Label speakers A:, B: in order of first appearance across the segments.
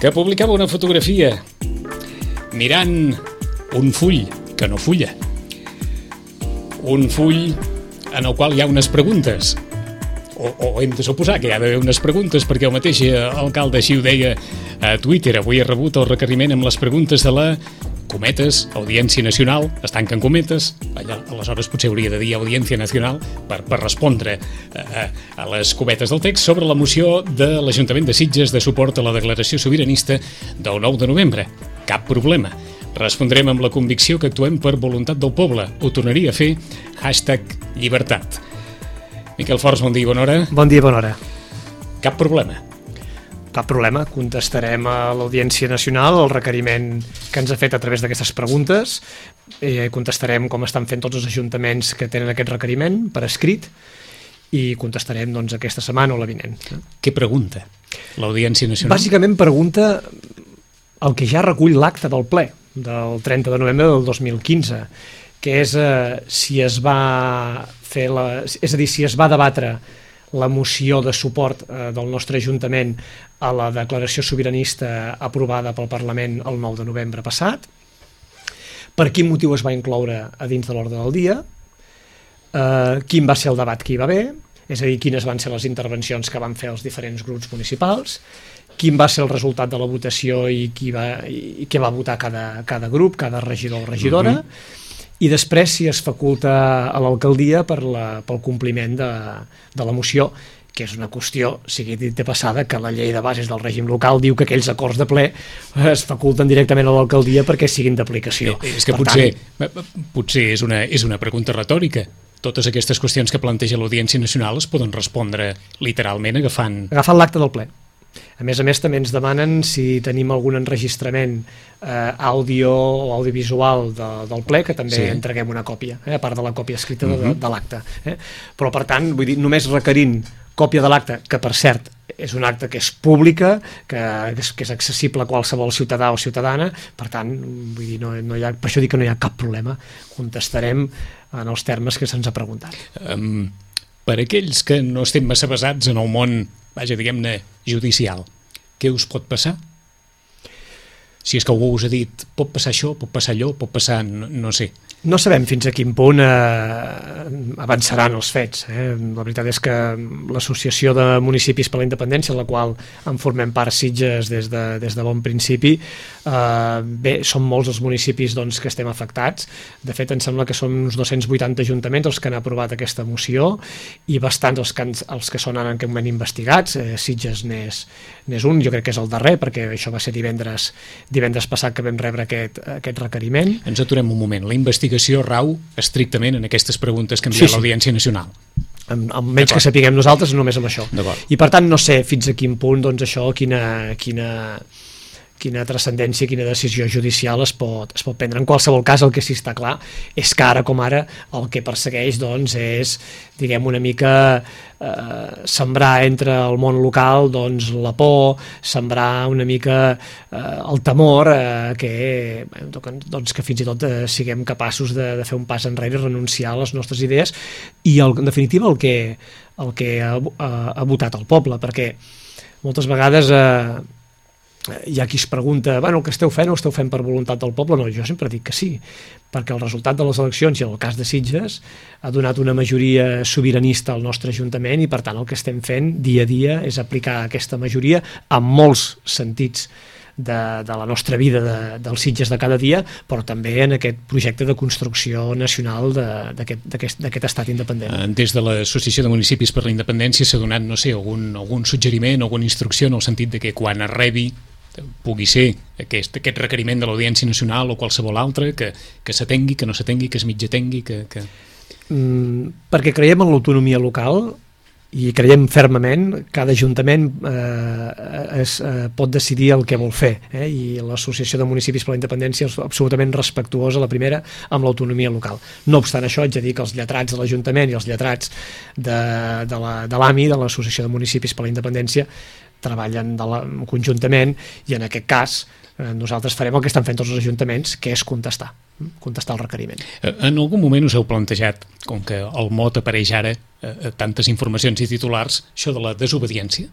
A: que publicava una fotografia mirant un full que no fulla. Un full en el qual hi ha unes preguntes. O hem de suposar que hi ha d'haver unes preguntes, perquè el mateix alcalde així ho deia a Twitter. Avui he rebut el requeriment amb les preguntes de la cometes, Audiència Nacional, es tanquen cometes, aleshores potser hauria de dir Audiència Nacional per respondre a les cometes del text sobre la moció de l'Ajuntament de Sitges de suport a la declaració sobiranista del 9 de novembre. Cap problema. Respondrem amb la convicció que actuem per voluntat del poble. Ho tornaria a fer, #llibertat. Miquel Forns, bon dia i bona hora.
B: Bon dia i bona hora.
A: Cap problema.
B: Cap problema, contestarem a l'Audiència Nacional el requeriment que ens ha fet a través d'aquestes preguntes i contestarem com estan fent tots els ajuntaments que tenen aquest requeriment per escrit i contestarem doncs, aquesta setmana o la vinent.
A: Què pregunta l'Audiència Nacional?
B: Bàsicament pregunta el que ja recull l'acte del ple del 30 de novembre del 2015, que és si es va fer és a dir, si es va debatre la moció de suport del nostre Ajuntament a la declaració sobiranista aprovada pel Parlament el 9 de novembre passat, per quin motiu es va incloure a dins de l'ordre del dia, quin va ser el debat que hi va haver, és a dir, quines van ser les intervencions que van fer els diferents grups municipals, quin va ser el resultat de la votació i què va votar cada grup, cada regidor o regidora, i després si es faculta a l'alcaldia pel compliment de la moció, que és una qüestió, sigui dit de passada, que la llei de bases del règim local diu que aquells acords de ple es faculten directament a l'alcaldia perquè siguin d'aplicació.
A: És que potser és una pregunta retòrica. Totes aquestes qüestions que planteja l'Audiència Nacional es poden respondre literalment agafant
B: l'acte del ple. A més, també ens demanen si tenim algun enregistrament àudio o audiovisual del ple, que també entreguem una còpia, a part de la còpia escrita de l'acte. Però, per tant, vull dir, només requerint còpia de l'acte, que per cert és un acte que és pública, que és accessible a qualsevol ciutadà o ciutadana, per tant, vull dir, per això dic que no hi ha cap problema, contestarem en els termes que se'ns ha preguntat.
A: Per aquells que no estem massa basats en el món, diguem-ne, judicial, què us pot passar? Si és que algú us ha dit, pot passar això, pot passar allò, pot passar, no sé.
B: No sabem fins a quin punt avançaran els fets. La veritat és que l'Associació de Municipis per la Independència, en la qual en formem part Sitges des de bon principi, bé, són molts els municipis que estem afectats. De fet, em sembla que són uns 280 ajuntaments els que han aprovat aquesta moció i bastants els que són en aquest moment investigats. Sitges n'és un, jo crec que és el darrer, perquè això va ser divendres passat que vam rebre aquest requeriment.
A: Ens aturem un moment. La investigació rau estrictament en aquestes preguntes que envia l'Audiència Nacional.
B: Almenys que sapiguem nosaltres, només amb això. I per tant no sé fins a quin punt això, quina transcendència, quina decisió judicial es pot prendre. En qualsevol cas, el que sí està clar és que ara com ara el que persegueix és, diguem, una mica sembrar entre el món local la por, sembrar una mica el temor que fins i tot siguem capaços de fer un pas enrere i renunciar a les nostres idees i en definitiva el que ha votat el poble, perquè moltes vegades hi ha qui es pregunta, el que esteu fent ho esteu fent per voluntat del poble? No, jo sempre dic que sí, perquè el resultat de les eleccions, i en el cas de Sitges, ha donat una majoria sobiranista al nostre Ajuntament i per tant el que estem fent dia a dia és aplicar aquesta majoria en molts sentits de la nostra vida dels Sitges de cada dia, però també en aquest projecte de construcció nacional d'aquest estat independent.
A: Des de l'Associació de Municipis per la Independència s'ha donat, no sé, algun suggeriment, alguna instrucció en el sentit de que quan es rebi pugui ser aquest requeriment de l'Audiència Nacional o qualsevol altre, que s'atengui, que no s'atengui, que es mitjatengui,
B: perquè creiem en l'autonomia local i creiem fermament que cada ajuntament pot decidir el que vol fer, i l'Associació de Municipis per la Independència és absolutament respectuosa, la primera, amb l'autonomia local. No obstant això, haig de dir que els lletrats de l'Ajuntament i els lletrats de l'AMI, de l'Associació de Municipis per la Independència, treballen conjuntament i en aquest cas nosaltres farem el que estan fent tots els ajuntaments, que és contestar el requeriment.
A: En algun moment us heu plantejat, com que el mot apareix ara tantes informacions i titulars, això de la desobediència?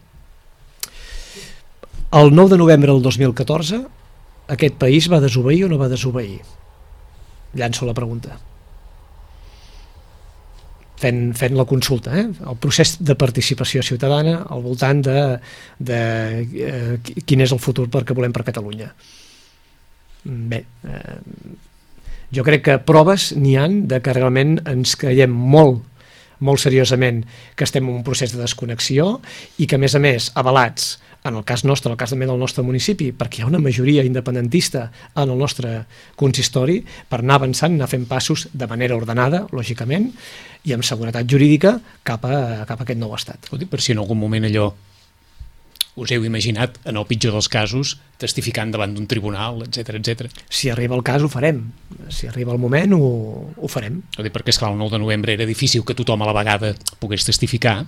B: El 9 de novembre del 2014 aquest país va desobeir o no va desobeir? Llanço la pregunta. Fent la consulta, el procés de participació ciutadana al voltant de quin és el futur que volem per Catalunya. Bé, jo crec que proves n'hi han de que realment ens creiem molt seriosament que estem en un procés de desconnexió i que, a més, avalats, en el cas nostre, en el cas també del nostre municipi, perquè hi ha una majoria independentista en el nostre consistori, per anar avançant, anar fent passos de manera ordenada, lògicament, i amb seguretat jurídica cap a aquest nou estat.
A: Ho dic per si en algun moment allò us heu imaginat, en el pitjor dels casos, testificant davant d'un tribunal, etc.
B: Si arriba el cas ho farem, si arriba el moment ho farem.
A: Ho dic perquè, esclar, el 9 de novembre era difícil que tothom a la vegada pogués testificar,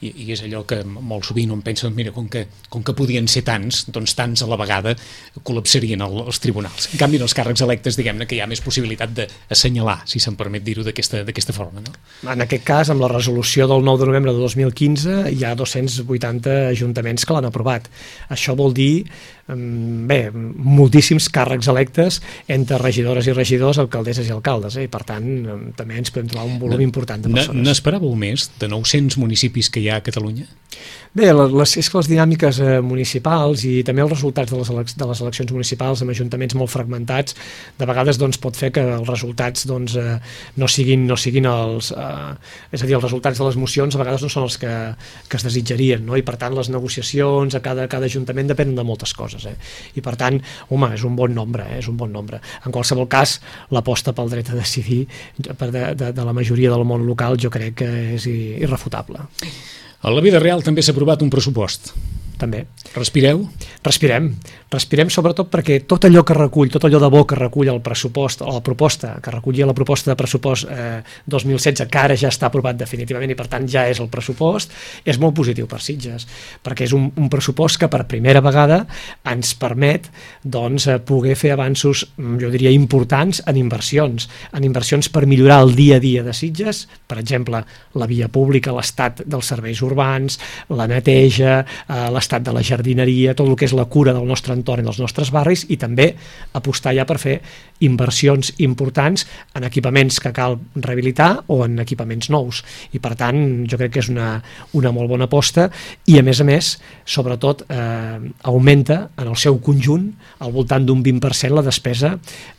A: i és allò que molt sovint on pensen, mira, com que podien ser tants, doncs tants a la vegada col·lapsarien els tribunals. En canvi, en els càrrecs electes, diguem-ne que hi ha més possibilitat d'assenyalar, si se'n permet dir-ho d'aquesta forma, no?
B: En aquest cas, amb la resolució del 9 de novembre de 2015, hi ha 280 ajuntaments que l'han aprovat. Això vol dir moltíssims càrrecs electes entre regidores i regidors, alcaldesses i alcaldes, i per tant també ens podem trobar un volum important de persones.
A: N'esperàveu més de 900 municipis que hi ha a Catalunya?
B: Bé, és que les dinàmiques municipals i també els resultats de les eleccions municipals amb ajuntaments molt fragmentats de vegades pot fer que els resultats no siguin els és a dir, els resultats de les mocions a vegades no són els que es desitjarien, no? I per tant les negociacions a cada ajuntament depenen de moltes coses, i per tant, home, és un bon nombre, En qualsevol cas, l'aposta pel dret a decidir de la majoria del món local jo crec que és irrefutable.
A: A la vida real també s'ha aprovat un pressupost.
B: També.
A: Respireu?
B: Respirem sobretot perquè tot allò que recull, tot allò de bo que recull el pressupost, o la proposta, que recollia la proposta de pressupost 2016, que ara ja està aprovat definitivament i per tant ja és el pressupost, és molt positiu per Sitges, perquè és un pressupost que per primera vegada ens permet poder fer avanços, jo diria, importants en inversions per millorar el dia a dia de Sitges, per exemple, la via pública, l'estat dels serveis urbans, la neteja, l'estat de la jardineria, tot el que és la cura del nostre entorn i dels nostres barris, i també apostar ja per fer inversions importants en equipaments que cal rehabilitar o en equipaments nous, i per tant jo crec que és una molt bona aposta i a més, sobretot augmenta en el seu conjunt al voltant d'un 20% la despesa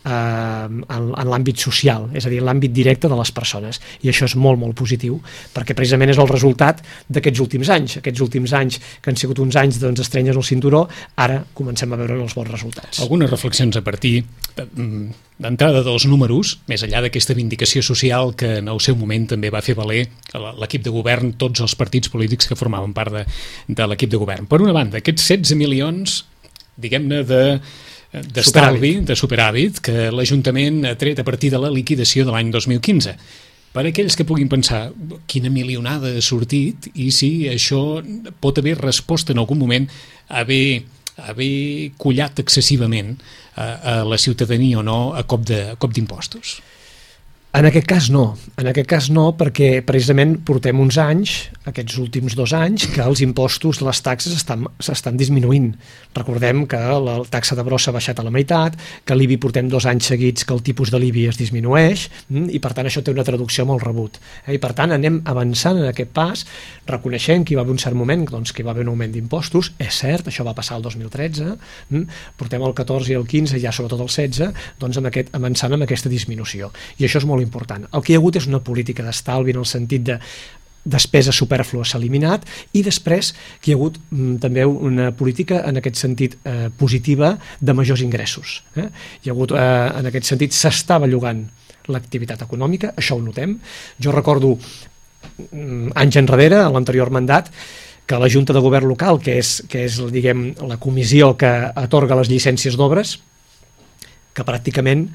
B: en l'àmbit social, és a dir, en l'àmbit directe de les persones, i això és molt positiu perquè precisament és el resultat d'aquests últims anys que han sigut uns anys estrenyes al cinturó, ara comencem a veure els bons resultats.
A: Algunes reflexions a partir d'entrada dels números, més enllà d'aquesta vindicació social que en el seu moment també va fer valer l'equip de govern, tots els partits polítics que formaven part de l'equip de govern. Per una banda, aquests 16 milions, diguem-ne, d'estalvi, de superàvit, que l'Ajuntament ha tret a partir de la liquidació de l'any 2015. Per aquells que puguin pensar quina milionada ha sortit i si això pot haver respost en algun moment a haver collat excessivament a la ciutadania o no a cop d'impostos.
B: En aquest cas no, perquè precisament portem uns anys, aquests últims 2 anys, que els impostos, les taxes s'estan disminuint. Recordem que la taxa de brossa ha baixat a la meitat, que l'IBI portem 2 anys seguits que el tipus de l'IBI es disminueix, i per tant això té una traducció molt rebut. I per tant anem avançant en aquest pas, reconeixent que hi va haver un cert moment que hi va haver un augment d'impostos, és cert, això va passar el 2013, portem el 14 i el 15, ja sobretot el 16, avançant amb aquesta disminució. I això és molt important. El que hi ha hagut és una política d'estalvi en el sentit de despesa supèrflua s'ha eliminat i després que hi ha hagut també una política en aquest sentit positiva de majors ingressos. Hi ha hagut, en aquest sentit, s'està bellugant l'activitat econòmica, això ho notem. Jo recordo anys enrere, a l'anterior mandat, que la Junta de Govern Local, que és diguem, la comissió que atorga les llicències d'obres, que pràcticament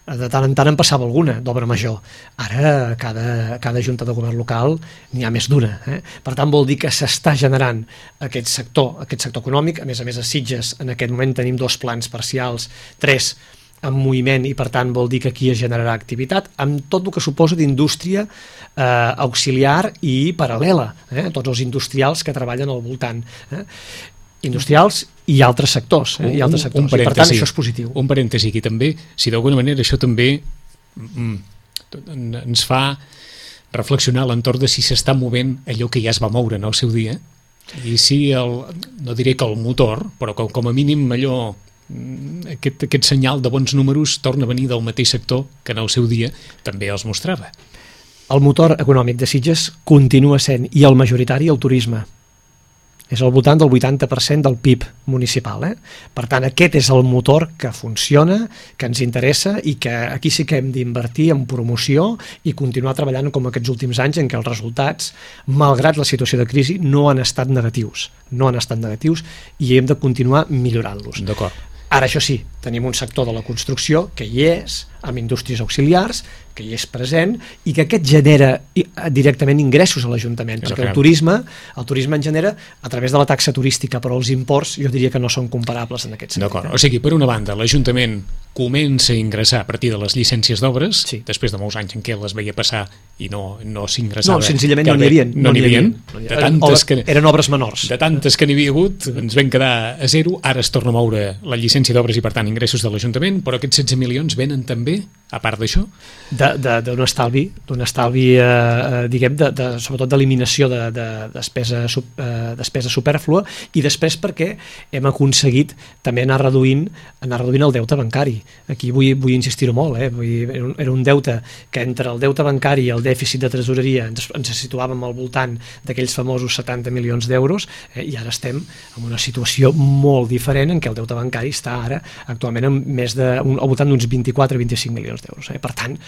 B: de tant en tant en passava alguna d'obra major. Ara cada Junta de Govern Local n'hi ha més d'una. Per tant vol dir que s'està generant aquest sector econòmic. A més a Sitges en aquest moment tenim 2 plans parcials, 3 en moviment, i per tant vol dir que aquí es generarà activitat amb tot el que suposa d'indústria auxiliar i paral·lela, tots els industrials que treballen al voltant. industrials i altres sectors. I altres sectors. I per tant, això és positiu.
A: Un parèntesi aquí també, si d'alguna manera això també ens fa reflexionar a l'entorn de si s'està movent allò que ja es va moure en el seu dia, i si no diré que el motor, però com a mínim allò, aquest senyal de bons números torna a venir del mateix sector que en el seu dia també els mostrava.
B: El motor econòmic de Sitges continua sent, i el majoritari, el turisme. És al voltant del 80% del PIB municipal. Per tant, aquest és el motor que funciona, que ens interessa i que aquí sí que hem d'invertir en promoció i continuar treballant com aquests últims anys en què els resultats, malgrat la situació de crisi, no han estat negatius. No han estat negatius i hem de continuar millorant-los.
A: D'acord.
B: Ara, això sí, tenim un sector de la construcció que hi és, amb indústries auxiliars, que hi és present i que aquest genera directament ingressos a l'Ajuntament, perquè el turisme en genera a través de la taxa turística, però els imports jo diria que no són comparables en aquest sentit.
A: D'acord, o sigui, per una banda, l'Ajuntament comença a ingressar a partir de les llicències d'obres,
B: sí,
A: després de molts anys en què les veia passar i no s'ingressava.
B: No, senzillament no n'hi havia.
A: No n'hi havia.
B: Eren obres menors.
A: De tantes que n'hi havia hagut, ens vam quedar a zero, ara es torna a moure la llicència d'obres i, per tant, ingressos de l'Ajuntament, però aquests 16 milions venen també, a part d'això?
B: D'un estalvi, diguem, sobretot d'eliminació de despesa supèrflua, i després perquè hem aconseguit també anar reduint el deute bancari. Aquí vull insistir-ho molt, era un deute que entre el deute bancari i el dèficit de tresoreria ens situàvem al voltant d'aquells famosos 70 milions d'euros, i ara estem en una situació molt diferent en què el deute bancari està ara actualment al voltant d'uns 24-25 milions d'euros. Per tant,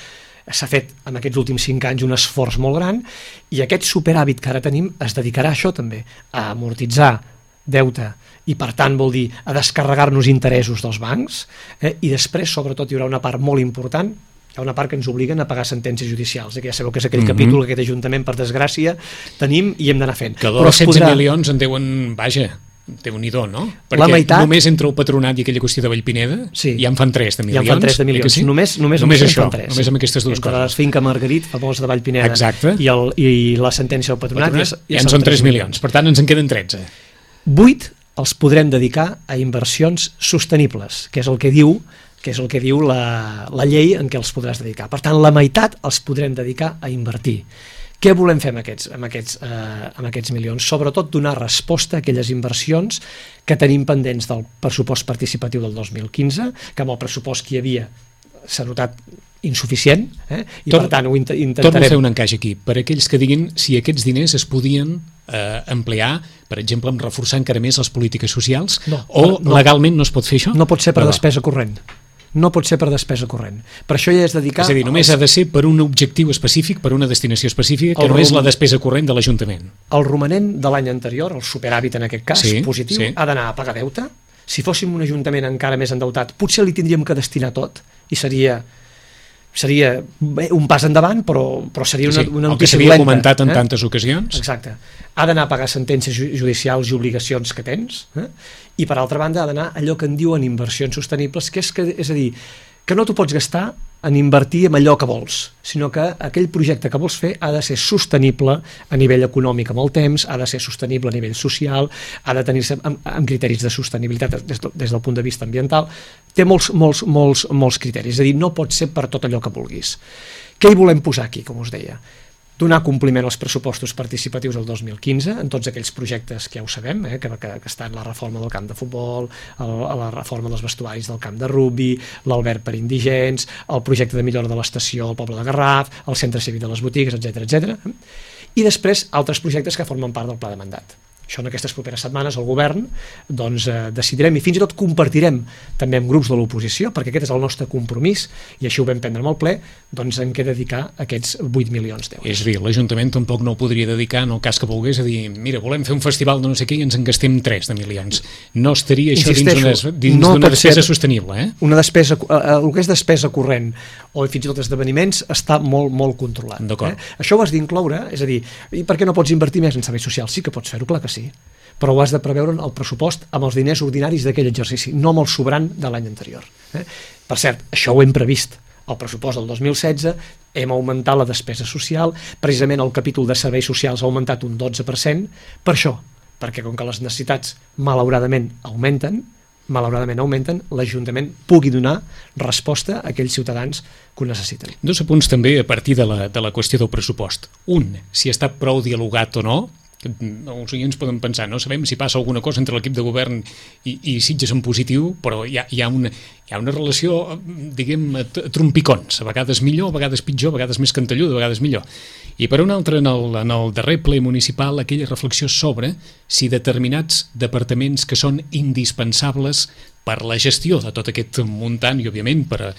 B: s'ha fet en aquests últims 5 anys un esforç molt gran, i aquest superàvit que ara tenim es dedicarà a això també, a amortitzar deute, i per tant vol dir a descarregar-nos interessos dels bancs, i després sobretot hi haurà una part molt important, hi ha una part que ens obliguen a pagar sentències judicials, que ja sabeu que és aquell capítol que aquest Ajuntament, per desgràcia, tenim i hem d'anar fent.
A: Que dels 16 milions en deuen, vaja, Déu-n'hi-do, no? Perquè
B: meitat,
A: només entre el patronat i aquella qüestió de Vallpineda ja en fan 3 de milions.
B: Ja en fan 3 de milions. Sí? Només
A: això,
B: fan 3.
A: Només amb aquestes dues
B: entre
A: coses.
B: La finca Margarit, famosa de Vallpineda, i la sentència del patronat
A: ja en són 3 milions. Per tant, ens en queden 13.
B: 8 els podrem dedicar a inversions sostenibles, que és el que diu la llei en què els podràs dedicar. Per tant, la meitat els podrem dedicar a invertir. Què volem fer amb aquests milions? Sobretot donar resposta a aquelles inversions que tenim pendents del pressupost participatiu del 2015, que amb el pressupost que hi havia s'ha notat insuficient, i per tant ho intentarem.
A: Torno a fer un encaix aquí, per aquells que diguin si aquests diners es podien emplear, per exemple, en reforçar encara més les polítiques socials, legalment no es pot fer això?
B: No pot ser per despesa corrent. No pot ser per despesa corrent. Per això ja és dedicar...
A: És a dir, només ha de ser per un objectiu específic, per una destinació específica, que no és la despesa corrent de l'Ajuntament.
B: El romanent de l'any anterior, el superàvit en aquest cas, positiu, ha d'anar a pagar deute. Si fóssim un Ajuntament encara més endeutat, potser li tindríem que destinar tot, i seria un pas endavant, però seria una notícia dolenta.
A: El que s'havia comentat en tantes ocasions.
B: Exacte. Ha d'anar a pagar sentències judicials i obligacions que tens, i per altra banda ha d'anar allò que en diuen inversions sostenibles, que és a dir, que no t'ho pots gastar en invertir en allò que vols, sinó que aquell projecte que vols fer ha de ser sostenible a nivell econòmic amb el temps, ha de ser sostenible a nivell social, ha de tenir-se amb criteris de sostenibilitat des del punt de vista ambiental. Té molts criteris, és a dir, no pot ser per tot allò que vulguis. Què hi volem posar aquí, com us deia? Donar compliment als pressupostos participatius del 2015 en tots aquells projectes que ja ho sabem, que estan la reforma del camp de futbol, la reforma dels vestuaris del camp de rugbi, l'alberg per indigents, el projecte de millora de l'estació al poble de Garraf, el centre cívic de les botigues, etc. I després altres projectes que formen part del pla de mandat. Això en aquestes properes setmanes el govern decidirem i fins i tot compartirem també amb grups de l'oposició, perquè aquest és el nostre compromís i així ho vam prendre amb el ple, doncs en què dedicar aquests 8 milions d'euros.
A: És a dir, l'Ajuntament tampoc no ho podria dedicar en el cas que volgués a dir, mira, volem fer un festival de no sé què i ens en gastem 3 de milions. No estaria això dins d'una despesa sostenible.
B: El que és despesa corrent o fins i tot esdeveniments està molt controlat. Això ho has d'incloure, és a dir, i per què no pots invertir més en serveis socials? Sí que pots fer-ho, clar que sí, però ho has de preveure en el pressupost amb els diners ordinaris d'aquell exercici, no amb el sobrant de l'any anterior. Per cert, això ho hem previst. Al pressupost del 2016 hem augmentat la despesa social, precisament el capítol de serveis socials ha augmentat un 12%, per això, perquè com que les necessitats malauradament augmenten, l'Ajuntament pugui donar resposta a aquells ciutadans que ho necessiten.
A: Dos apunts també a partir de la qüestió del pressupost. Un, si està prou dialogat o no. Els oients poden pensar, no sabem si passa alguna cosa entre l'equip de govern i Sitges en positiu, però hi ha una relació, diguem, a trompicons, a vegades millor, a vegades pitjor, a vegades més cantelluda, a vegades millor. I per un altre, en el darrer ple municipal, aquella reflexió sobre si determinats departaments que són indispensables per la gestió de tot aquest muntant i, òbviament, per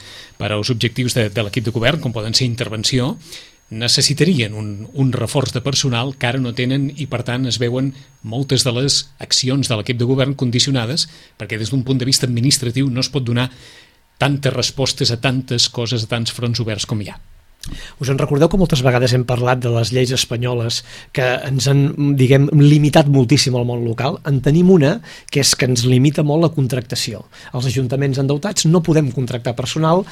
A: als objectius de l'equip de govern, com poden ser intervenció, necessitarien un reforç de personal que ara no tenen i, per tant, es veuen moltes de les accions de l'equip de govern condicionades perquè des d'un punt de vista administratiu no es pot donar tantes respostes a tantes coses, a tants fronts oberts com hi ha.
B: Us en recordeu que moltes vegades hem parlat de les lleis espanyoles que ens han, diguem, limitat moltíssim al món local? En tenim una que és que ens limita molt la contractació. Els ajuntaments endeutats no podem contractar personal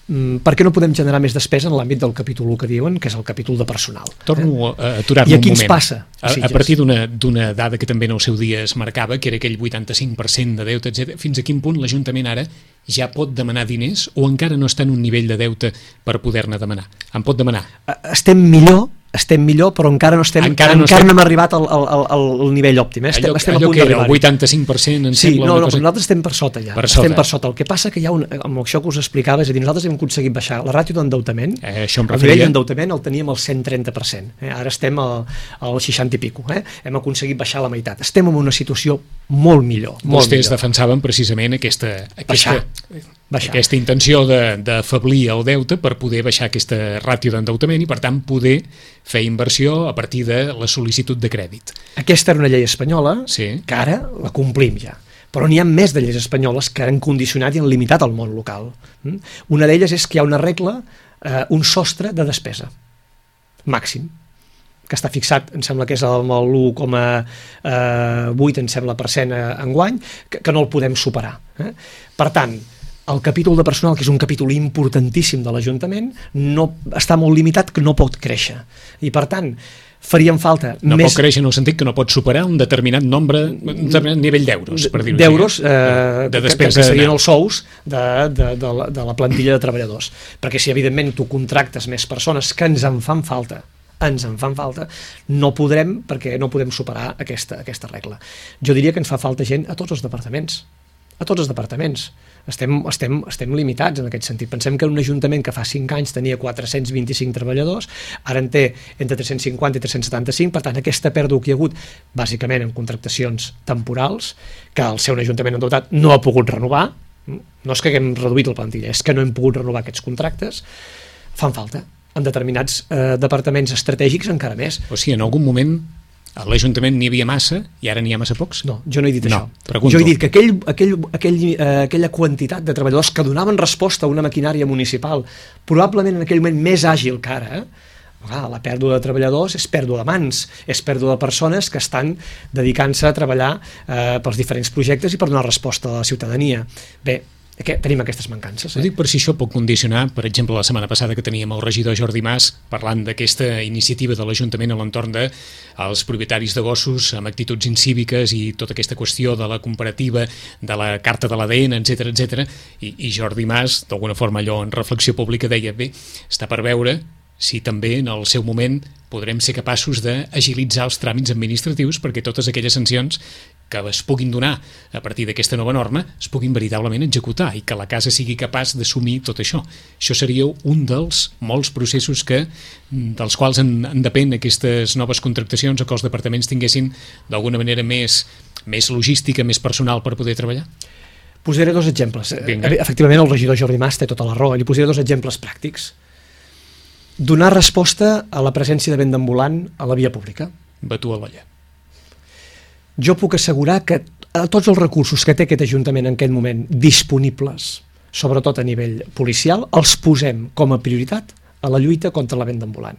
B: perquè no podem generar més despesa en l'àmbit del capítol 1 que diuen, que és el capítol de personal.
A: Torno a aturar-me un moment.
B: I aquí ens passa.
A: A partir d'una dada que també en el seu dia es marcava, que era aquell 85% de deute, etc. Fins a quin punt l'Ajuntament ara ja pot demanar diners o encara no està en un nivell de deute per poder-ne demanar? En pot demanar?
B: Estem millor, però encara no hem arribat al nivell òptim. Estem a punt d'arribar.
A: El 85% en sembla una cosa...
B: nosaltres estem per sota ja. Estem per sota. El que passa que hi ha amb això que us explicava, és a dir, nosaltres hem aconseguit baixar la ràtio d'endeutament, el nivell d'endeutament el teníem al 130%, ara estem al 60 i pico, hem aconseguit baixar la meitat. Estem en una situació molt millor.
A: Vostès defensaven precisament aquesta intenció d'afeblir el deute per poder baixar aquesta ràtio d'endeutament i, per tant, poder fer inversió a partir de la sol·licitud de crèdit.
B: Aquesta era una llei espanyola que ara la complim ja. Però n'hi ha més de lleis espanyoles que han condicionat i han limitat el món local. Una d'elles és que hi ha una regla, un sostre de despesa màxim, que està fixat, em sembla que és el 1,8 em sembla % enguany, que no el podem superar. Per tant, el capítol de personal, que és un capítol importantíssim de l'Ajuntament, està molt limitat, que no pot créixer. I, per tant, farien falta
A: no pot créixer en el sentit que no pot superar un determinat nivell d'euros, per dir-ho
B: d'euros, que serien els sous de la plantilla de treballadors. Perquè si, evidentment, tu contractes més persones que ens en fan falta, no podrem, perquè no podem superar aquesta regla. Jo diria que ens fa falta gent a tots els departaments. Estem limitats en aquest sentit. Pensem que un ajuntament que fa 5 anys tenia 425 treballadors, ara en té entre 350 i 375, per tant aquesta pèrdua que hi ha hagut bàsicament en contractacions temporals, que el seu ajuntament endeutat no ha pogut renovar, no és que haguem reduït la plantilla, és que no hem pogut renovar aquests contractes, fan falta. En determinats departaments estratègics encara més.
A: O sigui, en algun moment a l'Ajuntament n'hi havia massa i ara n'hi ha massa pocs?
B: No, jo no he dit això.
A: Pregunto.
B: Jo he dit que aquella quantitat de treballadors que donaven resposta a una maquinària municipal, probablement en aquell moment més àgil que ara, la pèrdua de treballadors és pèrdua de mans, és pèrdua de persones que estan dedicant-se a treballar pels diferents projectes i per donar resposta a la ciutadania. Bé, tenim aquestes mancances.
A: Ho dic per si això pot condicionar, per exemple, la setmana passada que teníem el regidor Jordi Mas parlant d'aquesta iniciativa de l'Ajuntament a l'entorn dels propietaris de gossos amb actituds incíviques i tota aquesta qüestió de la comparativa, de la carta de l'ADN, etc. I Jordi Mas, d'alguna forma allò en reflexió pública, deia, bé, està per veure si també en el seu moment podrem ser capaços d'agilitzar els tràmits administratius perquè totes aquelles sancions que es puguin donar a partir d'aquesta nova norma es puguin veritablement executar i que la casa sigui capaç d'assumir tot això. Això seria un dels molts processos dels quals en depèn aquestes noves contractacions o que els departaments tinguessin d'alguna manera més logística, més personal per poder treballar.
B: Posaré 2 exemples. Efectivament, el regidor Jordi Mas té tota la raó. Li posaré 2 exemples pràctics. Donar resposta a la presència de vent ambulant a la via pública.
A: Batu a l'olla.
B: Jo puc assegurar que tots els recursos que té aquest Ajuntament en aquest moment disponibles, sobretot a nivell policial, els posem com a prioritat a la lluita contra la vent ambulant.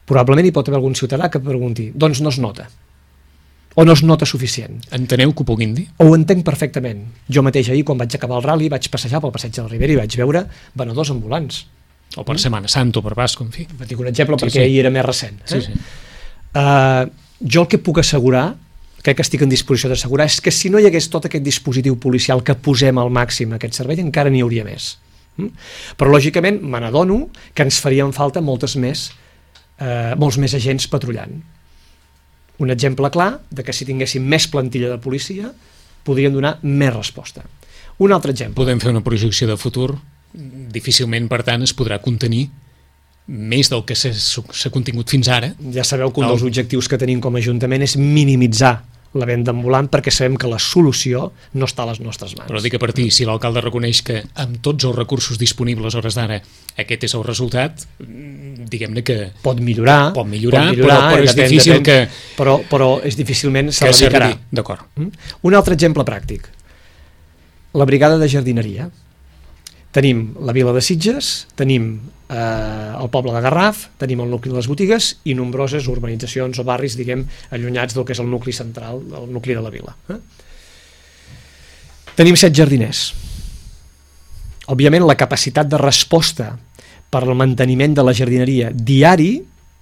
B: Probablement hi pot haver algun ciutadà que pregunti, doncs no es nota, o no es nota suficient.
A: Enteneu que ho puguin dir?
B: Ho entenc perfectament. Jo mateix ahir, quan vaig acabar el rally, vaig passejar pel passeig de la Ribera i vaig veure venedors ambulants.
A: O per Setmana Santa o per Pasqua, en fi.
B: Dic un exemple perquè ahir era més recent. Jo el que puc assegurar, crec que estic en disposició d'assegurar, és que si no hi hagués tot aquest dispositiu policial que posem al màxim a aquest servei, encara n'hi hauria més. Però lògicament me n'adono que ens farien falta molts més agents patrullant. Un exemple clar de que si tinguéssim més plantilla de policia podrien donar més resposta. Un altre exemple.
A: Podem fer una projecció de futur, difícilment per tant es podrà contenir més del que s'ha contingut fins ara.
B: Ja sabeu que un dels objectius que tenim com a Ajuntament és minimitzar la venda ambulant, perquè sabem que la solució no està a les nostres mans.
A: Però dic a partir, si l'alcalde reconeix que amb tots els recursos disponibles a hores d'ara aquest és el resultat, diguem-ne que
B: pot millorar,
A: però és difícil que...
B: Però és difícilment s'erradicarà.
A: D'acord.
B: Un altre exemple pràctic. La brigada de jardineria. Tenim la vila de Sitges, tenim el poble de Garraf, tenim el nucli de les botigues i nombroses urbanitzacions o barris, diguem, allunyats del que és el nucli central, el nucli de la vila. Tenim 7 jardiners. Òbviament, la capacitat de resposta per al manteniment de la jardineria diari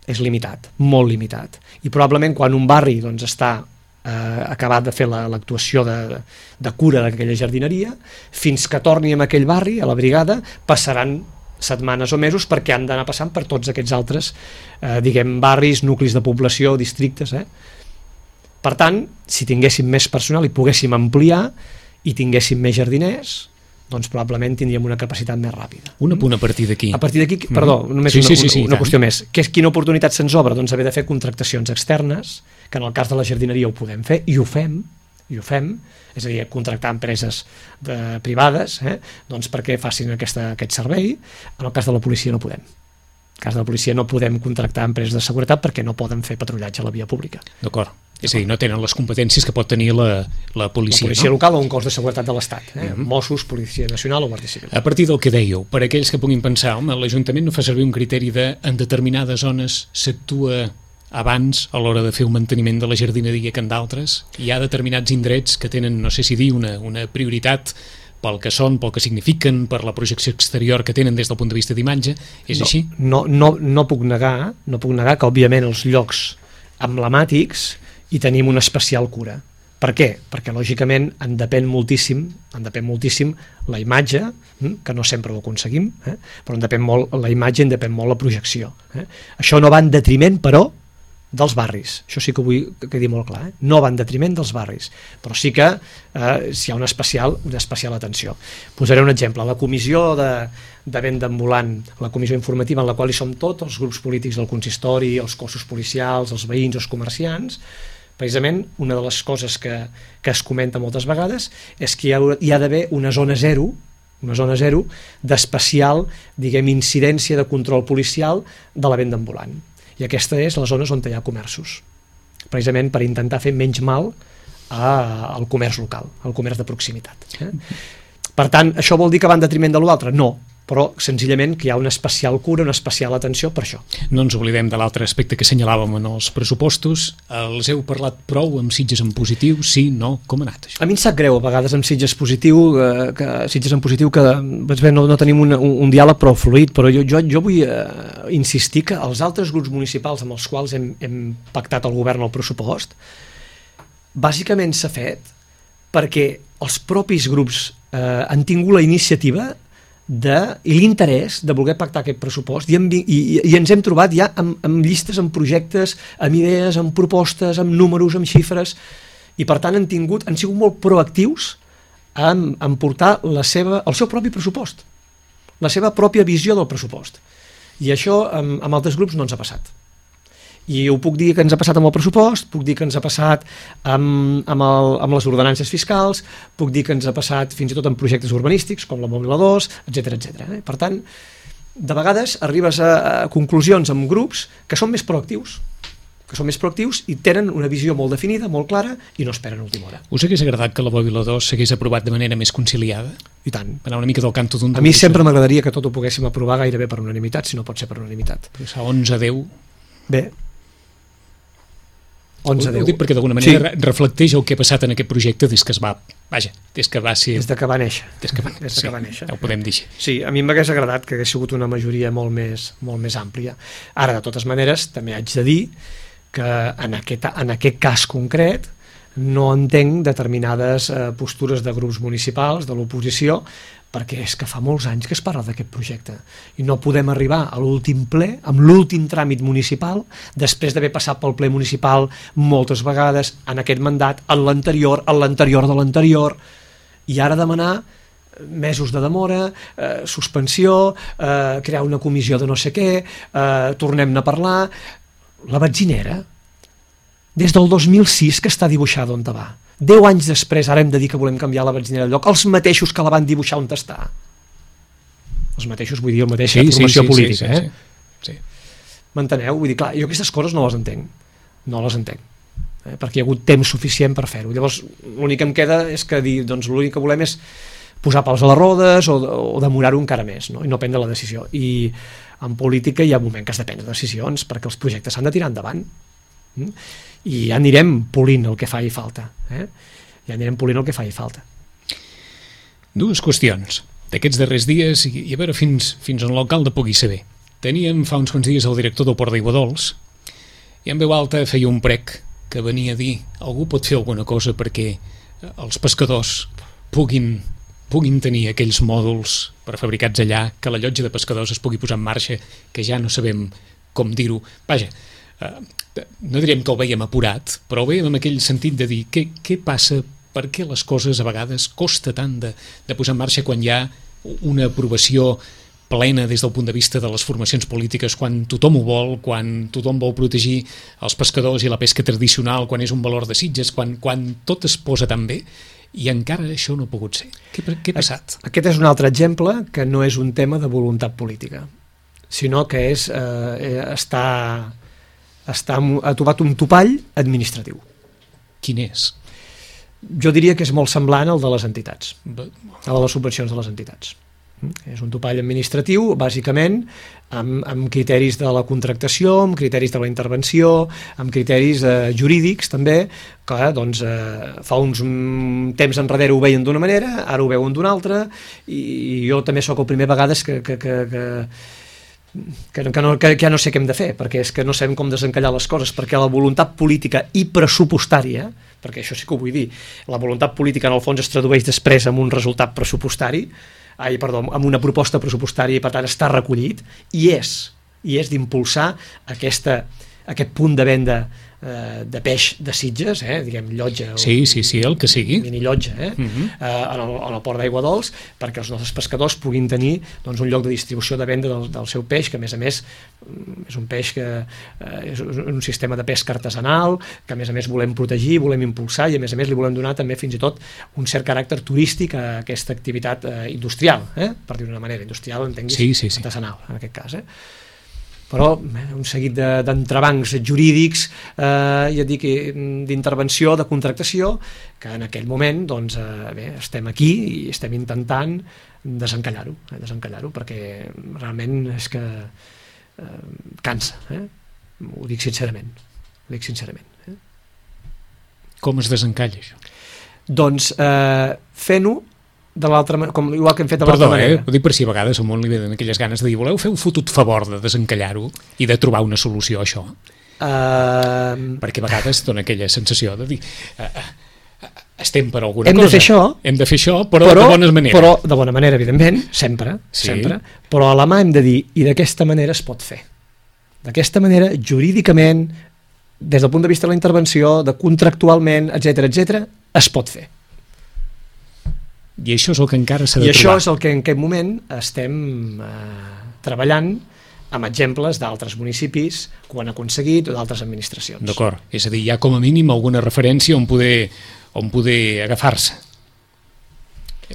B: és limitat, molt limitat. I probablement quan un barri està acabat de fer l'actuació de cura d'aquella jardineria, fins que torni a aquell barri, a la brigada, passaran setmanes o mesos perquè han d'anar passant per tots aquests altres barris, nuclis de població, districtes. Per tant, si tinguéssim més personal i poguéssim ampliar i tinguéssim més jardiners, doncs probablement tindríem una capacitat més ràpida.
A: Un apunt a partir d'aquí.
B: A partir d'aquí, perdó, només una qüestió més. Quina oportunitat se'ns obre? Doncs haver de fer contractacions externes, que en el cas de la jardineria ho podem fer, i ho fem, és a dir, contractar empreses privades doncs perquè facin aquest servei. En el cas de la policia no podem. En el cas de la policia no podem contractar empreses de seguretat perquè no poden fer patrullatge a la via pública.
A: D'acord. És a dir, no tenen les competències que pot tenir la policia.
B: La policia local o un cos de seguretat de l'Estat, Mossos, Policia Nacional o Guàrdia Civil.
A: A partir del que dèieu, per aquells que puguin pensar, home, l'Ajuntament no fa servir un criteri de en determinades zones s'actua abans a l'hora de fer un manteniment de la jardineria que en d'altres. Hi ha determinats indrets que tenen, no sé si dir, una prioritat pel que són, pel que signifiquen, per la projecció exterior que tenen des del punt de vista d'imatge. És així?
B: No puc negar que, òbviament, els llocs emblemàtics hi tenim una especial cura. Per què? Perquè, lògicament, en depèn moltíssim la imatge, que no sempre ho aconseguim, però en depèn molt la imatge, en depèn molt la projecció. Això no va en detriment, però, dels barris. Això sí que vull que quedi molt clar. No va en detriment dels barris, però sí que hi ha una especial atenció. Posaré un exemple. La comissió de venda ambulant, la comissió informativa en la qual hi som tots, els grups polítics del consistori, els cossos policials, els veïns, els comerciants, precisament una de les coses que es comenta moltes vegades és que hi ha d'haver una zona zero d'especial, incidència de control policial de la venda ambulant. I aquesta és les zones on hi ha comerços, precisament per intentar fer menys mal al comerç local, al comerç de proximitat. Per tant, això vol dir que va en detriment de l'altre? No, però senzillament que hi ha una especial cura, una especial atenció per això.
A: No ens oblidem de l'altre aspecte que assenyalàvem en els pressupostos. Els heu parlat prou amb Sitges en positiu? Sí, no? Com ha anat això?
B: A mi em sap greu a vegades amb Sitges en positiu que no tenim un diàleg prou fluid, però jo vull insistir que els altres grups municipals amb els quals hem pactat el govern al pressupost bàsicament s'ha fet perquè els propis grups han tingut la iniciativa i l'interès de voler pactar aquest pressupost i ens hem trobat ja amb llistes, amb projectes, amb idees, amb propostes, amb números, amb xifres, i per tant han sigut molt proactius en portar el seu propi pressupost, la seva pròpia visió del pressupost, i això amb altres grups no ens ha passat. I ho puc dir que ens ha passat amb el pressupost, puc dir que ens ha passat amb les ordenances fiscals, puc dir que ens ha passat fins i tot en projectes urbanístics com la Mòbil 2, etc. Per tant, de vegades arribes a conclusions amb grups que són més proactius, i tenen una visió molt definida, molt clara, i no esperen a última hora.
A: Us hagués agradat que la Mòbil 2 s'hagués aprovat de manera més conciliada?
B: I tant.
A: Anar una mica del canto d'un...
B: A mi sempre m'agradaria que tot ho poguéssim aprovar gairebé per unanimitat, si no pot ser per unanimitat.
A: Però 11-10...
B: Bé, 11-10.
A: Ho dic perquè d'alguna manera reflecteix el que ha passat en aquest projecte des que va ser... Des que
B: va néixer.
A: Des que va néixer. Ho podem dir així.
B: Sí, a mi m'hagués agradat que hagués sigut una majoria molt més àmplia. Ara, de totes maneres, també haig de dir que en aquest cas concret no entenc determinades postures de grups municipals, de l'oposició, perquè és que fa molts anys que es parla d'aquest projecte i no podem arribar a l'últim ple, amb l'últim tràmit municipal, després d'haver passat pel ple municipal moltes vegades en aquest mandat, en l'anterior de l'anterior, i ara demanar mesos de demora, suspensió, crear una comissió de no sé què, tornem-ne a parlar. La benzinera, des del 2006 que està dibuixada on va. 10 anys després ara hem de dir que volem canviar la benzinera de lloc. Els mateixos que la van dibuixar on està. Els mateixos, vull dir, la mateixa formació política.
A: Sí.
B: M'enteneu? Vull dir, clar, jo aquestes coses no les entenc. No les entenc. Perquè hi ha hagut temps suficient per fer-ho. Llavors, l'únic que em queda és que dir, doncs l'únic que volem és posar pals a les rodes o demorar-ho encara més, no? I no prendre la decisió. I en política hi ha un moment que has de prendre decisions perquè els projectes s'han de tirar endavant. I ja anirem polint el que faci falta. Ja anirem polint el que faci falta.
A: Dues qüestions d'aquests darrers dies i a veure fins on l'alcalde pugui saber. Teníem fa uns quants dies el director del Port d'Aiguadols i en veu alta feia un prec que venia a dir algú pot fer alguna cosa perquè els pescadors puguin tenir aquells mòduls prefabricats allà, que la llotja de pescadors es pugui posar en marxa, que ja no sabem com dir-ho. Vaja, no diríem que ho veiem apurat, però ho veiem en aquell sentit de dir què passa, per què les coses a vegades costa tant de posar en marxa quan hi ha una aprovació plena des del punt de vista de les formacions polítiques, quan tothom ho vol, quan tothom vol protegir els pescadors i la pesca tradicional, quan és un valor de Sitges, quan tot es posa tan bé, i encara això no ha pogut ser. Què ha passat?
B: Aquest és un altre exemple que no és un tema de voluntat política, sinó que és ha trobat un topall administratiu.
A: Quin és?
B: Jo diria que és molt semblant al de les entitats, a les subvencions de les entitats. És un topall administratiu, bàsicament, amb criteris de la contractació, amb criteris de la intervenció, amb criteris jurídics, també, que doncs, fa uns temps enrere ho veien d'una manera, ara ho veuen d'una altra, i jo també sóc el primer vegades que ja no sé què hem de fer, perquè és que no sabem com desencallar les coses, perquè la voluntat política i pressupostària, perquè això sí que ho vull dir, la voluntat política en el fons es tradueix després en un resultat pressupostari, amb una proposta pressupostària, i per tant està recollit, i és d'impulsar aquest punt de venda de peix de Sitges, diguem llotja,
A: sí, el que sigui,
B: mini llotja, en el Port d'Aiguadols, perquè els nostres pescadors puguin tenir doncs, un lloc de distribució de venda del seu peix, que a més és un peix que és un sistema de pesca artesanal, que a més volem protegir, volem impulsar, i a més li volem donar també fins i tot un cert caràcter turístic a aquesta activitat industrial, per dir-ho d'una manera, industrial, entenguis, artesanal, en aquest cas, però un seguit d'entrebancs jurídics, ja dic, d'intervenció, de contractació, que en aquell moment doncs, estem aquí i estem intentant desencallar-ho, perquè realment és que cansa, ho dic sincerament.
A: Com es desencalla això?
B: Doncs fent-ho de l'altra manera, igual que hem fet de l'altra manera.
A: Ho dic per si a vegades al món li venen aquelles ganes de dir voleu fer un fotut favor de desencallar-ho i de trobar una solució a això, perquè a vegades dona aquella sensació de dir estem per alguna cosa, hem de fer això, però de bona manera.
B: Però de bona manera, evidentment, sempre, però a la mà hem de dir, i d'aquesta manera es pot fer, d'aquesta manera, jurídicament, des del punt de vista de la intervenció, de contractualment, etc, es pot fer.
A: I això és el que encara s'ha de trobar.
B: I això és el que en aquest moment estem treballant amb exemples d'altres municipis que ho han aconseguit o d'altres administracions.
A: D'acord, és a dir, hi ha com a mínim alguna referència on poder agafar-se.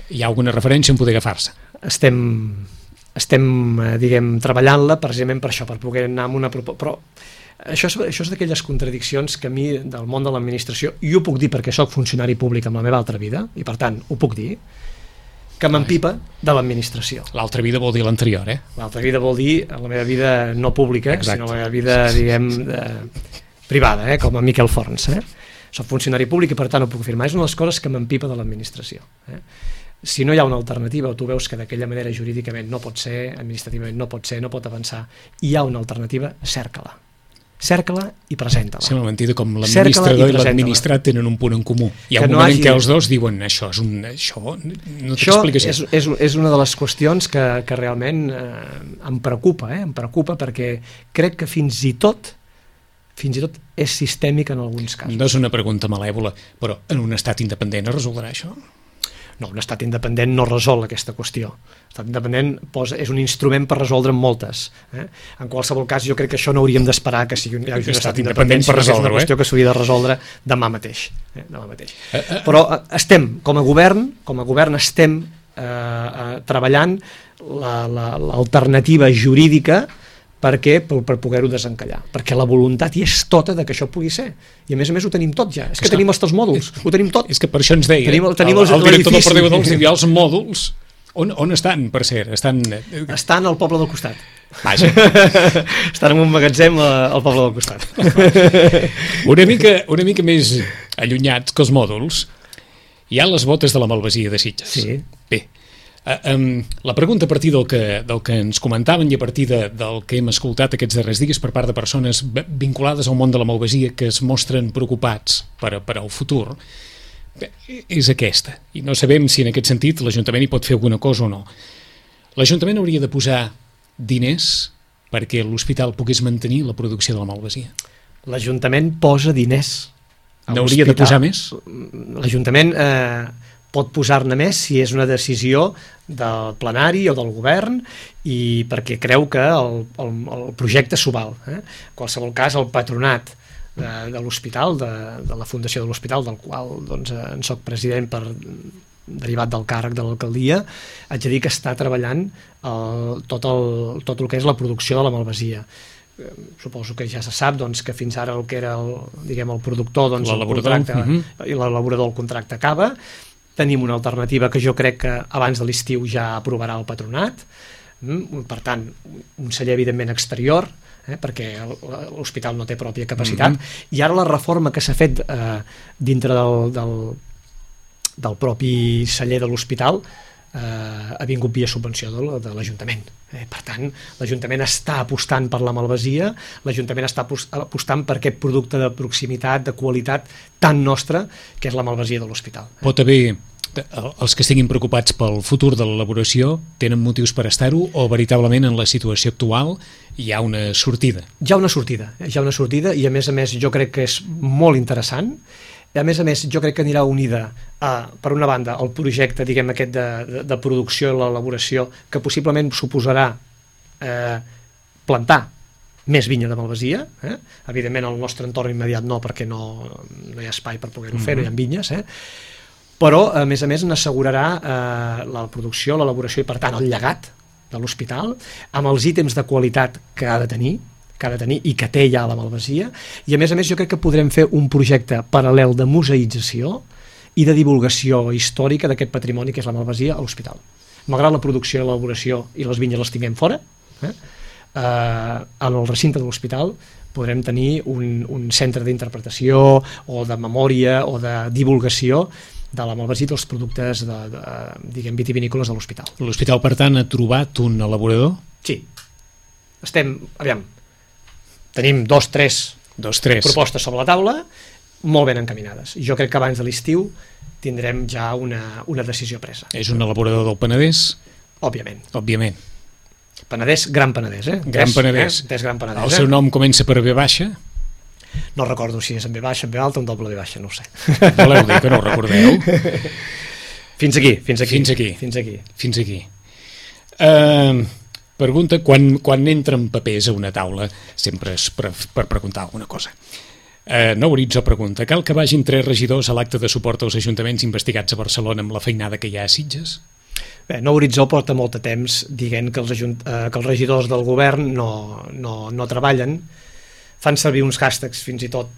A: Hi ha alguna referència on poder agafar-se.
B: Estem diguem, treballant-la precisament per això, per poder anar amb una proposta. Però això és d'aquelles contradiccions que a mi del món de l'administració, i ho puc dir perquè soc funcionari públic en la meva altra vida, i per tant ho puc dir, que m'empipa de l'administració.
A: L'altra vida vol dir l'anterior,
B: L'altra vida vol dir la meva vida no pública, sinó la meva vida, diguem, privada, com a Miquel Forns. Soc funcionari públic i per tant ho puc afirmar. És una de les coses que m'empipa de l'administració. Si no hi ha una alternativa o tu veus que d'aquella manera jurídicament no pot ser, administrativament no pot ser, no pot avançar, hi ha una alternativa, cerca-la. cerca-la i presenta-la.
A: Sembla mentida com l'administrador i l'administrat tenen un punt en comú. Hi ha un moment en què els dos diuen això no té explicació.
B: És una de les qüestions que realment em preocupa, perquè crec que fins i tot és sistèmic en alguns casos.
A: No és una pregunta malèvola, però en un estat independent es resoldrà això?
B: No, un estat independent no resol aquesta qüestió. L'estat independent és un instrument per resoldre moltes. En qualsevol cas, jo crec que això no hauríem d'esperar que sigui un estat independent per resoldre. És una qüestió que s'hauria de resoldre demà mateix. Però com a govern estem treballant l'alternativa jurídica per poder-ho desencallar, perquè la voluntat hi és tota de que això pugui ser, i a més ho tenim tot ja, és que tenim els 3 mòduls, ho tenim tot.
A: És que per això ens deia
B: tenim
A: el director del Perdeu dels Ideals mòduls, on estan, per cert?
B: Estan al poble del costat.
A: Vaja.
B: Estan en un magatzem al poble del costat.
A: Una mica més allunyats que els mòduls hi ha les botes de la Malvasia de Sitges.
B: Sí.
A: Bé, la pregunta a partir del que ens comentaven i a partir del que hem escoltat aquests darrers dies per part de persones vinculades al món de la malvasia que es mostren preocupats per al futur és aquesta, i no sabem si en aquest sentit l'Ajuntament hi pot fer alguna cosa o no. L'Ajuntament hauria de posar diners perquè l'hospital pogués mantenir la producció de la malvasia.
B: L'Ajuntament posa diners.
A: N'hauria de posar més?
B: L'Ajuntament pot posar-ne més si és una decisió del plenari o del govern i perquè creu que el projecte s'ho val. En qualsevol cas, el patronat de l'hospital, de la fundació de l'hospital, del qual en soc president derivat del càrrec de l'alcaldia, haig de dir que està treballant tot el que és la producció de la malvasia. Suposo que ja se sap que fins ara el que era el productor, l'elaborador del contracte acaba. Tenim una alternativa que jo crec que abans de l'estiu ja aprovarà el patronat, per tant, un celler evidentment exterior, perquè l'hospital no té pròpia capacitat, i ara la reforma que s'ha fet dintre del propi celler de l'hospital ha vingut via subvenció de l'Ajuntament. Per tant, l'Ajuntament està apostant per la malvasia, l'Ajuntament està apostant per aquest producte de proximitat, de qualitat tan nostra, que és la malvasia de l'hospital.
A: Pot haver, els que estiguin preocupats pel futur de l'elaboració, tenen motius per estar-ho o veritablement en la situació actual hi ha una sortida?
B: Hi ha una sortida i a més jo crec que és molt interessant. A més, jo crec que anirà unida per una banda, el projecte aquest de producció i l'elaboració, que possiblement suposarà plantar més vinya de malvasia. Evidentment, al nostre entorn immediat no, perquè no hi ha espai per poder-ho fer, no hi ha vinyes. Però, a més, n'assegurarà la producció, l'elaboració i, per tant, el llegat de l'hospital, amb els ítems de qualitat que ha de tenir i que té ja la malvasia, i a més jo crec que podrem fer un projecte paral·lel de museïtzació i de divulgació històrica d'aquest patrimoni que és la malvasia a l'hospital. Malgrat la producció, l'elaboració i les vinyes les tinguem fora, en el recinte de l'hospital podrem tenir un centre d'interpretació o de memòria o de divulgació de la malvasia i dels productes vitivinícoles de l'hospital.
A: L'hospital, per tant, ha trobat un elaborador?
B: Sí. Tenim 2-3 propostes sobre la taula, molt ben encaminades. Jo crec que abans de l'estiu tindrem ja una decisió presa.
A: És un elaborador del Penedès?
B: Òbviament. Penedès, Gran Penedès.
A: Gran Penedès.
B: Gran Penedès.
A: El seu nom comença per B baixa?
B: No recordo si és en B baixa, en B alta o en doble B baixa, no ho sé.
A: Voleu dir que no ho recordeu?
B: Fins aquí.
A: Pregunta, quan entren papers a una taula, sempre és per preguntar alguna cosa. Nou Horitzó pregunta, cal que vagin 3 regidors a l'acte de suport als ajuntaments investigats a Barcelona amb la feinada que hi ha a Sitges?
B: Bé, Nou Horitzó porta molt de temps dient que els regidors del govern no treballen, fan servir uns hashtags fins i tot...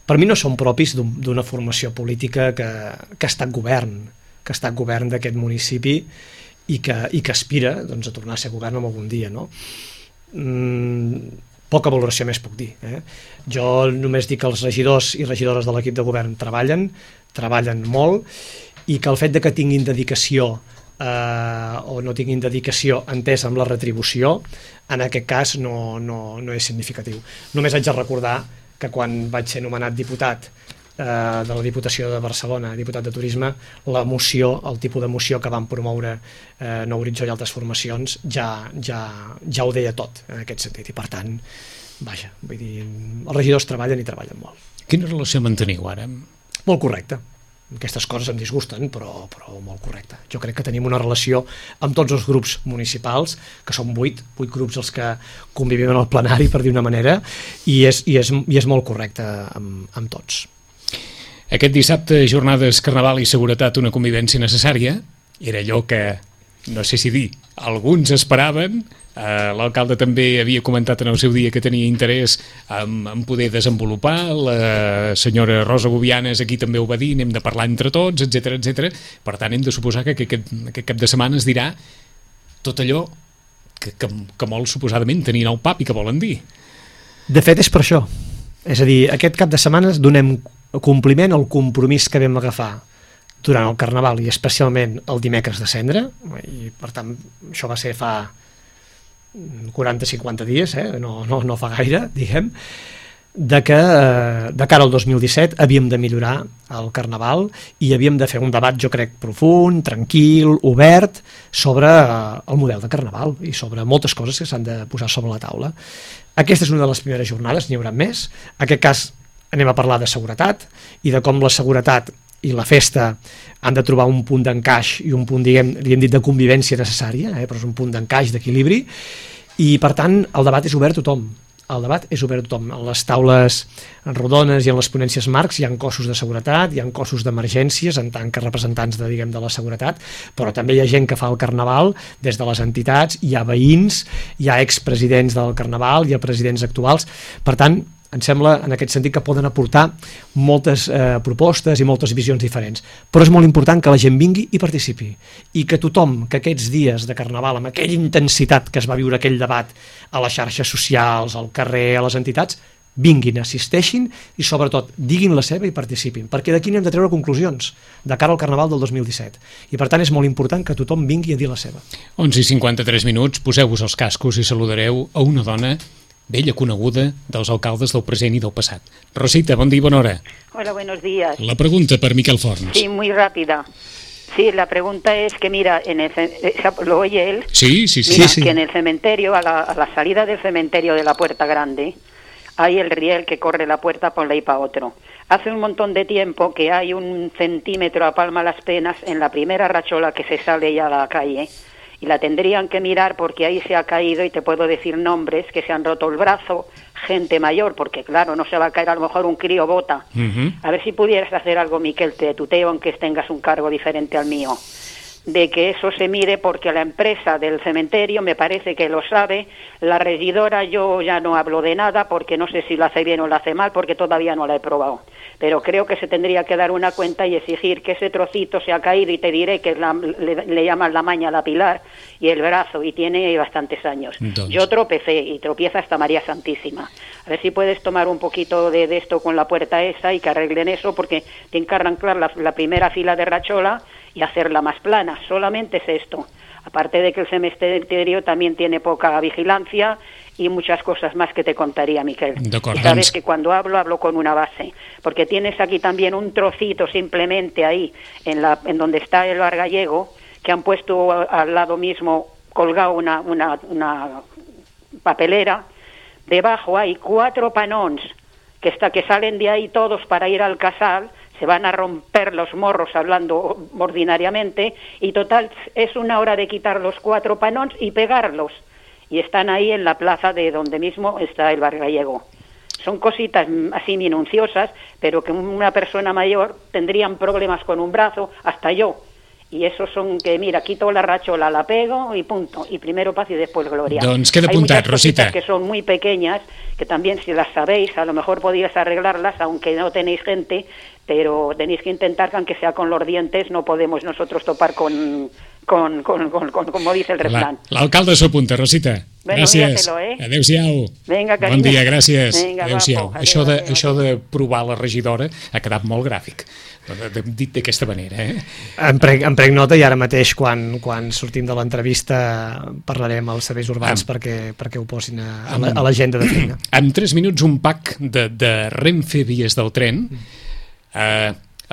B: Per mi no són propis d'una formació política que ha estat govern d'aquest municipi i que aspira a tornar a ser govern algun dia. Poca valoració més puc dir. Jo només dic que els regidors i regidores de l'equip de govern treballen molt, i que el fet de que tinguin dedicació o no tinguin dedicació entès amb la retribució, en aquest cas no és significatiu. Només haig de recordar que quan vaig ser nomenat diputat de la Diputació de Barcelona, diputat de Turisme, la moció, el tipus de moció que van promoure Nou Horitzó i altres formacions ja ho deia tot en aquest sentit, i per tant, vaja, vull dir, els regidors treballen i treballen molt.
A: Quina relació manteniu ara?
B: Molt correcta. Aquestes coses em disgusten, però molt correcta. Jo crec que tenim una relació amb tots els grups municipals, que són 8 grups els que convivim en el plenari, per dir una manera, i és molt correcta amb tots.
A: Aquest dissabte, jornades, carnaval i seguretat, una convivència necessària, era allò que, no sé si dir, alguns esperaven. L'alcalde també havia comentat en el seu dia que tenia interès en poder desenvolupar, la senyora Rosa Gobianes aquí també ho va dir, n'hem de parlar entre tots, etc. Per tant, hem de suposar que aquest cap de setmana es dirà tot allò que molt suposadament tenien al pap i que volen dir.
B: De fet, és per això. És a dir, aquest cap de setmana donem compliment al compromís que vam agafar durant el Carnaval i especialment el dimecres de Cendra, i per tant això va ser fa 40-50 dies, no fa gaire, diguem, de que de cara al 2017 havíem de millorar el Carnaval i havíem de fer un debat, jo crec, profund, tranquil, obert, sobre el model de Carnaval i sobre moltes coses que s'han de posar sobre la taula. Aquesta és una de les primeres jornades, n'hi haurà més. En aquest cas anem a parlar de seguretat i de com la seguretat i la festa han de trobar un punt d'encaix i un punt, diguem, li hem dit de convivència necessària, però és un punt d'encaix, d'equilibri, i per tant el debat és obert a tothom. El debat és obert a tothom. En les taules rodones i en les ponències marcs hi ha cossos de seguretat, hi ha cossos d'emergències en tant que representants de la seguretat, però també hi ha gent que fa el Carnaval des de les entitats, hi ha veïns, hi ha expresidents del Carnaval, hi ha presidents actuals. Per tant, em sembla, en aquest sentit, que poden aportar moltes propostes i moltes visions diferents. Però és molt important que la gent vingui i participi. I que tothom, que aquests dies de Carnaval, amb aquella intensitat que es va viure aquell debat a les xarxes socials, al carrer, a les entitats, vinguin, assisteixin i, sobretot, diguin la seva i participin. Perquè d'aquí n'hem de treure conclusions de cara al Carnaval del 2017. I, per tant, és molt important que tothom vingui a dir la seva.
A: 11:53, poseu-vos els cascos i saludareu a una dona bella coneguda dels alcaldes del present i del passat. Rosita, bon dia i bona hora.
C: Hola, buenos días.
A: La pregunta per Miquel Forns.
C: Sí, muy rápida. Sí, la pregunta es que, mira, ¿lo oye él?
A: Sí.
C: Mira, que en el cementerio, a la salida del cementerio de la Puerta Grande, hay el riel que corre la puerta por ahí para otro. Hace un montón de tiempo que hay 1 centímetro a palma las penas en la primera rachola que se sale ya a la calle, y la tendrían que mirar porque ahí se ha caído, y te puedo decir nombres, que se han roto el brazo, gente mayor, porque claro, no se va a caer a lo mejor un crío bota. A ver si pudieras hacer algo, Miquel, te tuteo, aunque tengas un cargo diferente al mío, de que eso se mire, porque la empresa del cementerio me parece que lo sabe. La regidora, yo ya no hablo de nada porque no sé si lo hace bien o lo hace mal, porque todavía no la he probado, pero creo que se tendría que dar una cuenta y exigir que ese trocito se ha caído, y te diré que le llaman la maña a la Pilar, y el brazo, y tiene bastantes años. Entonces, yo tropecé y tropieza hasta María Santísima. A ver si puedes tomar un poquito de esto con la puerta esa y que arreglen eso, porque tienen que arrancar la primera fila de rachola y hacerla más plana. Solamente es esto. Aparte de que el cementerio también tiene poca vigilancia y muchas cosas más que te contaría, Miquel. Y sabes que cuando hablo con una base, porque tienes aquí también un trocito simplemente ahí, en donde está el bar gallego, que han puesto al lado mismo colgado una papelera. Debajo hay 4 panons que salen de ahí todos para ir al casal. Se van a romper los morros, hablando ordinariamente, y total es una hora de quitar los 4 panons y pegarlos, y están ahí en la plaza de donde mismo está el bar gallego. Son cositas así minuciosas, pero que una persona mayor tendrían problemas con un brazo, hasta yo. Y esos son que, mira, quito la rachola, la pego y punto. Y primero paz y después gloria.
A: Doncs queda apuntat, Rosita.
C: Que son muy pequeñas, que también, si las sabéis, a lo mejor podíais arreglarlas, aunque no tenéis gente, pero tenéis que intentar que, aunque sea con los dientes, no podemos nosotros topar con como dice el refrán.
A: L'alcalde s'ho apunta, Rosita.
C: Bueno,
A: gràcies.
C: Adéu-siau.
A: Vinga, carinyo. Bon dia, gràcies. Adéu-siau. Això de provar la regidora ha quedat molt gràfic. dit d'aquesta manera,
B: Em prenc nota, i ara mateix quan sortim de l'entrevista parlarem als serveis urbans perquè ho posin a l'agenda de feina.
A: En 3 minuts un pack de Renfe Vies del Tren,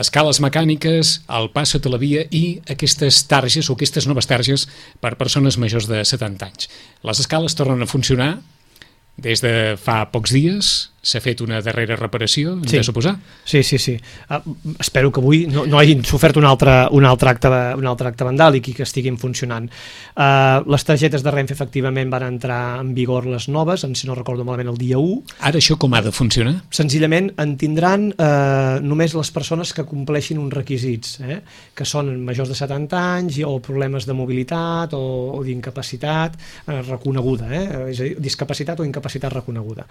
A: escales mecàniques, el pas sota la via i aquestes targes o aquestes noves targes per persones majors de 70 anys. Les escales tornen a funcionar des de fa pocs dies. S'ha fet una darrera reparació, hem de suposar?
B: Sí. Espero que avui no hagin sofert un altre acte vandàlic i que estiguin funcionant. Les targetes de Renfe efectivament van entrar en vigor les noves, si no recordo malament, el dia 1.
A: Ara això com ha de funcionar?
B: Senzillament en tindran només les persones que compleixin uns requisits, que són majors de 70 anys o problemes de mobilitat o d'incapacitat reconeguda, és a dir, discapacitat o incapacitat reconeguda.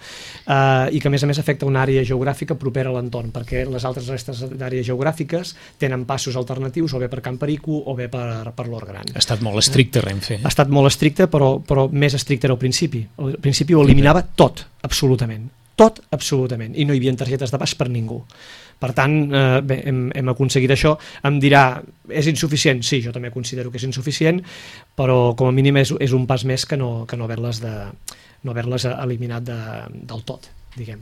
B: I que a més afecta una àrea geogràfica propera a l'entorn, perquè les altres restes d'àrees geogràfiques tenen passos alternatius o bé per Can Perico o bé per l'Hort Gran.
A: Ha estat molt estricte Renfe.
B: Ha estat molt estricte, però més estricte era al principi. Al principi ho eliminava tot, absolutament, i no hi havia targetes de pas per ningú. Per tant, hem aconseguit això. Em dirà, és insuficient? Sí, jo també considero que és insuficient, però com a mínim és un pas més que no haver-les eliminat del tot, diguem.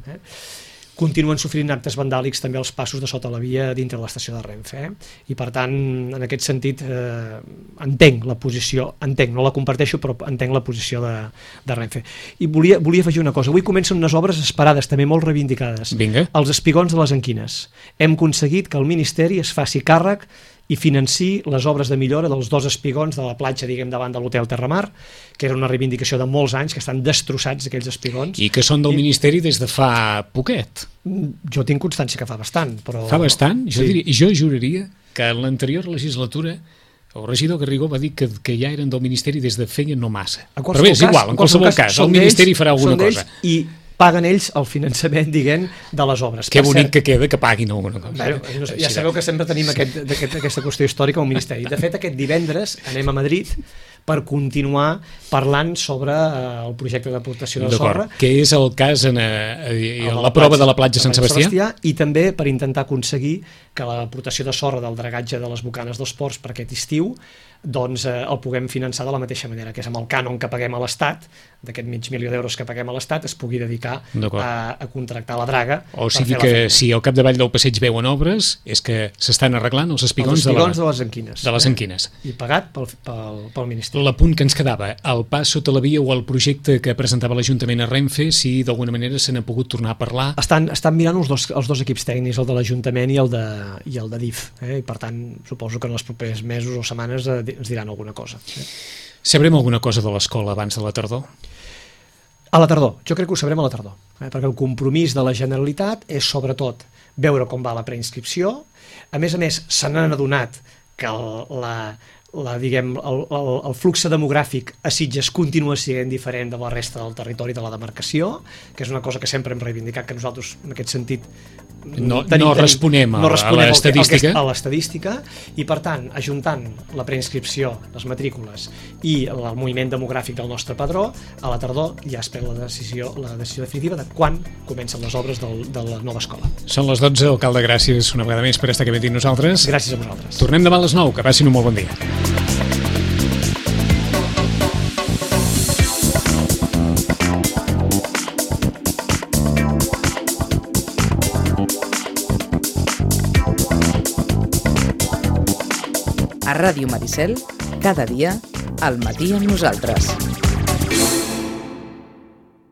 B: Continuen sofrint actes vandàlics també els passos de sota la via dintre de l'estació de Renfe, i per tant, en aquest sentit, entenc la posició, no la comparteixo, però entenc la posició de Renfe. I volia afegir una cosa. Avui comencen unes obres esperades, també molt reivindicades.
A: Vinga.
B: Els espigons de les Anquines. Hem aconseguit que el Ministeri es faci càrrec i financi les obres de millora dels 2 espigons de la platja, diguem, davant de l'Hotel Terramar, que era una reivindicació de molts anys, que estan destrossats aquells espigons.
A: I que són del Ministeri des de fa poquet.
B: Jo tinc constància que fa bastant, però...
A: Fa bastant?
B: Sí.
A: Jo juraria que en l'anterior legislatura el regidor Garrigó va dir que ja eren del Ministeri des de feia no massa. Però bé, és igual, en qualsevol cas, el Ministeri farà alguna cosa.
B: I paguen ells el finançament, diguem, de les obres.
A: Que bonic que queda que paguin alguna cosa.
B: Bueno, ja sabeu que sempre tenim aquesta qüestió històrica al Ministeri. De fet, aquest divendres anem a Madrid per continuar parlant sobre el projecte d'aportació de sorra.
A: Que és el cas en la prova de la platja Sant Sebastià.
B: I també per intentar aconseguir que l'aportació de sorra del dragatge de les bocanes dels ports per aquest estiu doncs el puguem finançar de la mateixa manera, que és amb el cànon que paguem a l'Estat, d'aquest $500.000 que paguem a l'Estat, es pugui dedicar a contractar la draga.
A: O sigui que si al capdavall del passeig veuen obres, és que s'estan arreglant els espigons de
B: les Anquines.
A: De les Anquines.
B: I pagat pel Ministeri.
A: L'apunt que ens quedava, el pas sota la via o el projecte que presentava l'Ajuntament a Renfe, si d'alguna manera se n'ha pogut tornar a parlar.
B: Estan mirant els dos equips tècnics, el de l'Ajuntament i el de DIF, i per tant suposo que en els propers mesos o setmanes ens diran alguna cosa.
A: Sabrem alguna cosa de l'escola abans de la tardor?
B: A la tardor, jo crec que ho sabrem a la tardor, perquè el compromís de la Generalitat és sobretot veure com va la preinscripció. A més, se n'han adonat que el flux demogràfic a Sitges continua sent diferent de la resta del territori de la demarcació, que és una cosa que sempre hem reivindicat, que nosaltres en aquest sentit
A: no responem a
B: l'estadística, i per tant, ajuntant la preinscripció, les matrícules i el moviment demogràfic del nostre padró, a la tardor ja es pren la decisió definitiva de quan comencen les obres de la nova escola.
A: Són les 12, alcalde, gràcies una vegada més per estar aquí amb nosaltres.
B: Gràcies a vosaltres.
A: Tornem demà a les 9, que passin un molt bon dia.
D: A Ràdio Maricel, cada dia, al matí amb nosaltres.